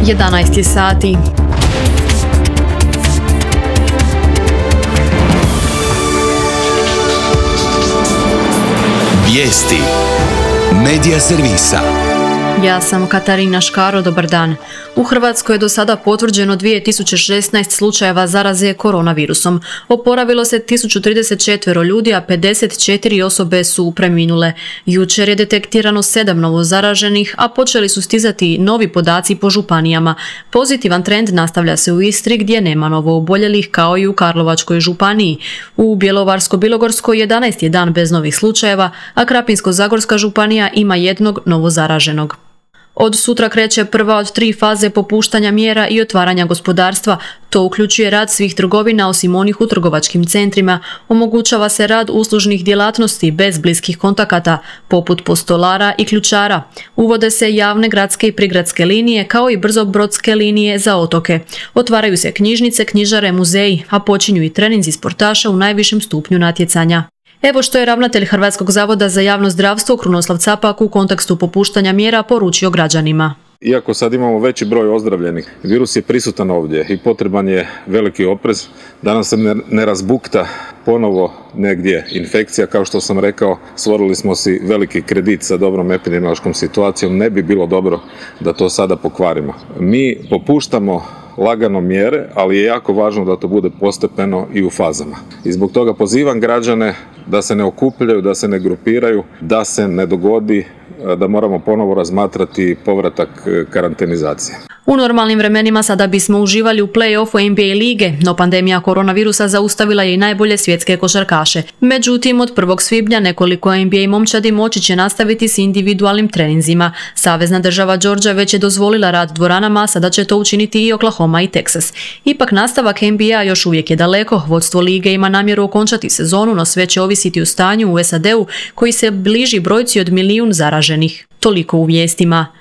11 sati. Vijesti Medija servisa. Ja sam Katarina Škaro, dobar dan. U Hrvatskoj je do sada potvrđeno 2016 slučajeva zaraze koronavirusom. Oporavilo se 1034 ljudi, a 54 osobe su preminule. Jučer je detektirano 7 novo zaraženih, a počeli su stizati novi podaci po županijama. Pozitivan trend nastavlja se u Istri gdje nema novo oboljelih kao i u Karlovačkoj županiji. U Bjelovarsko-bilogorskoj 11 je dan bez novih slučajeva, a Krapinsko-zagorska županija ima jednog novo zaraženog. Od sutra kreće prva od 3 faze popuštanja mjera i otvaranja gospodarstva. To uključuje rad svih trgovina osim onih u trgovačkim centrima. Omogućava se rad uslužnih djelatnosti bez bliskih kontakata, poput postolara i ključara. Uvode se javne gradske i prigradske linije kao i brzobrodske linije za otoke. Otvaraju se knjižnice, knjižare, muzeji, a počinju i treninzi sportaša u najvišem stupnju natjecanja. Evo što je ravnatelj Hrvatskog zavoda za javno zdravstvo Krunoslav Capak u kontekstu popuštanja mjera poručio građanima. Iako sad imamo veći broj ozdravljenih, virus je prisutan ovdje i potreban je veliki oprez da nam se ne razbukta ponovo negdje infekcija. Kao što sam rekao, stvorili smo si veliki kredit sa dobrom epidemiološkom situacijom, ne bi bilo dobro da to sada pokvarimo. Mi popuštamo lagano mjere, ali je jako važno da to bude postepeno i u fazama. I zbog toga pozivam građane da se ne okupljaju, da se ne grupiraju, da se ne dogodi da moramo ponovo razmatrati povratak karantenizacije. U normalnim vremenima sada bismo uživali u play-offu NBA lige, no pandemija koronavirusa zaustavila je i najbolje svjetske košarkaše. Međutim, od 1. svibnja nekoliko NBA momčadi moći će nastaviti s individualnim treninzima. Savezna država Georgia već je dozvolila rad dvoranama, sada će to učiniti i Oklahoma i Texas. Ipak nastavak NBA još uvijek je daleko. Vodstvo lige ima namjeru okončati sezonu, no sve će ovisiti o stanju u SAD-u koji se bliži brojci od 1 milijun zaraženih. Toliko u vijestima.